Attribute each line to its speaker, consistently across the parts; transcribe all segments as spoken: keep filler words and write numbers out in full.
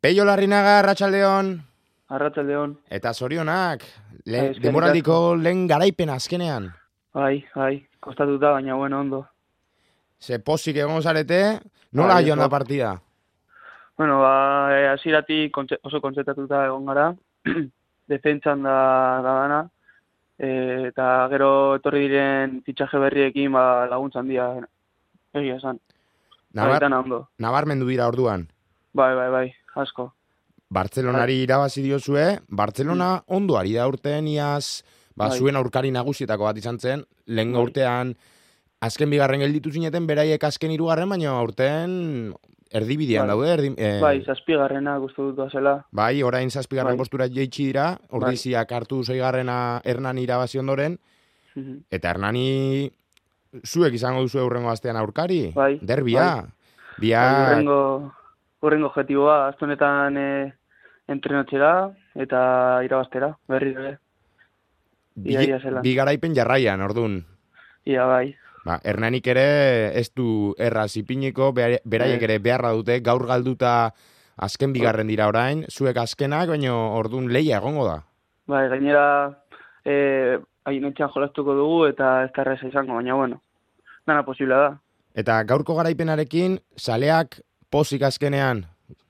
Speaker 1: Peio Larrinaga, Arratsaldeon.
Speaker 2: Arratsaldeon.
Speaker 1: Eta zorionak, le,
Speaker 2: Bai, eskerrik
Speaker 1: demoraldiko
Speaker 2: asko.
Speaker 1: lehen garaipen azkenean.
Speaker 2: Bai, bai, kostatuta, baina bueno, ondo.
Speaker 1: Ze pozik egon zarete, nola
Speaker 2: Bai,
Speaker 1: joan da
Speaker 2: oso.
Speaker 1: partida?
Speaker 2: Bueno, ba, eh, hasieratik kontze- oso kontzentratuta egon gara. Defentsan da, da dana. Eh, eta gero etorri diren fitxaje berriekin ba, laguntza handia egia esan. Bai,
Speaker 1: Nabar,
Speaker 2: dana ondo.
Speaker 1: nabarmendu dira orduan.
Speaker 2: Bai, bai, bai, asko. Bai.
Speaker 1: Bartzelonari irabazi diozue,
Speaker 2: Mm,
Speaker 1: Bartzelona ondo ari da urtean iaz, ba,
Speaker 2: bai,
Speaker 1: zuen aurkari nagusietako bat izan zen, lehen
Speaker 2: bai.
Speaker 1: urtean azken bigarren gelditu zineten, beraiek azken hirugarren, baina urtean erdibidean
Speaker 2: Bai,
Speaker 1: daude, erdi,
Speaker 2: bai,
Speaker 1: eh,
Speaker 2: zazpigarrena gustu dut zela.
Speaker 1: bai, orain zazpigarren
Speaker 2: Bai,
Speaker 1: postura jeitsi dira,
Speaker 2: bai.
Speaker 1: ordiziak hartu zeigarrena Hernani irabazi ondoren,
Speaker 2: Mhm.
Speaker 1: eta Hernani zuek izango duzu eurrengo astean aurkari,
Speaker 2: Bai, bai.
Speaker 1: derbia,
Speaker 2: Bai,
Speaker 1: biak
Speaker 2: urrengo, urrengo objetiboa, azte honetan e, entrenatzera eta irabaztera, berri ere, ia,
Speaker 1: bi,
Speaker 2: ia zelan.
Speaker 1: bi garaipen jarraian, ordun.
Speaker 2: Ia bai,
Speaker 1: Ba, Hernanik ere ez du erraz ipiniko, bera- beraiek
Speaker 2: ez,
Speaker 1: ere beharra dute, gaur galduta azken
Speaker 2: hor-
Speaker 1: bigarren dira orain, zuek azkenak, baina ordun leia egongo da.
Speaker 2: bai, gainera, e, hainetxean jolastuko dugu eta ez da erreza izango, baina bueno, dana posible da,
Speaker 1: Eta gaurko garaipenarekin, saleak pozik azkenean,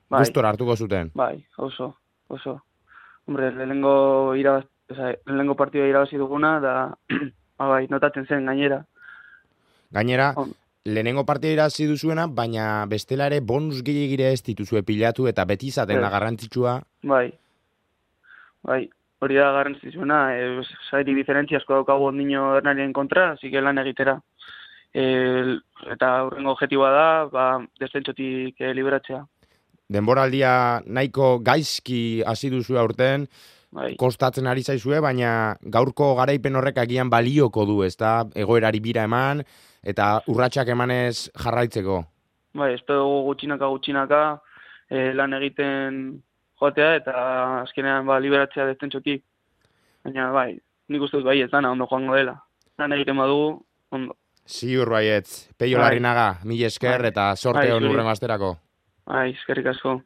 Speaker 2: bai,
Speaker 1: gustora hartuko zuten.
Speaker 2: bai, oso, oso. Hombre, lehenengo irabaz, oza, lehenengo partidua irabazi duguna, da, ba, bai, notatzen zen gainera.
Speaker 1: Gainera,
Speaker 2: On,
Speaker 1: lehenengo partida irazi duzuena, baina bestela ere bonus gehiagire ez dituzue pilatu eta beti izaten da
Speaker 2: ez,
Speaker 1: garrantzitsua.
Speaker 2: bai, bai, hori da garrantzitsuena, e, sairi diferentzia asko daukagu ondino Hernanien kontra, así que lan egitera. E, eta hurrengo objetiboa da, ba, descentsotik e, liberatzea.
Speaker 1: Denboraldia nahiko gaizki hasi duzu aurten,
Speaker 2: Bai,
Speaker 1: kostatzen ari zaizue, baina gaurko garaipen horrek agian balioko du, ezta? Egoerari bira eman eta urratsak emanez jarraitzeko.
Speaker 2: bai, espero dugu gutxinaka gutxinaka e, lan egiten joatea eta azkenean ba, liberatzea descentsotik. Baina bai, nik uste dut bai ez dana ondo joango dela. Lan egiten badugu, ondo.
Speaker 1: Ziur baietz, Peio
Speaker 2: Bai,
Speaker 1: Larrinaga, mila esker
Speaker 2: bai,
Speaker 1: eta sorte
Speaker 2: bai,
Speaker 1: hon
Speaker 2: zuri.
Speaker 1: urrengo asterako.
Speaker 2: Bai, eskerrik asko.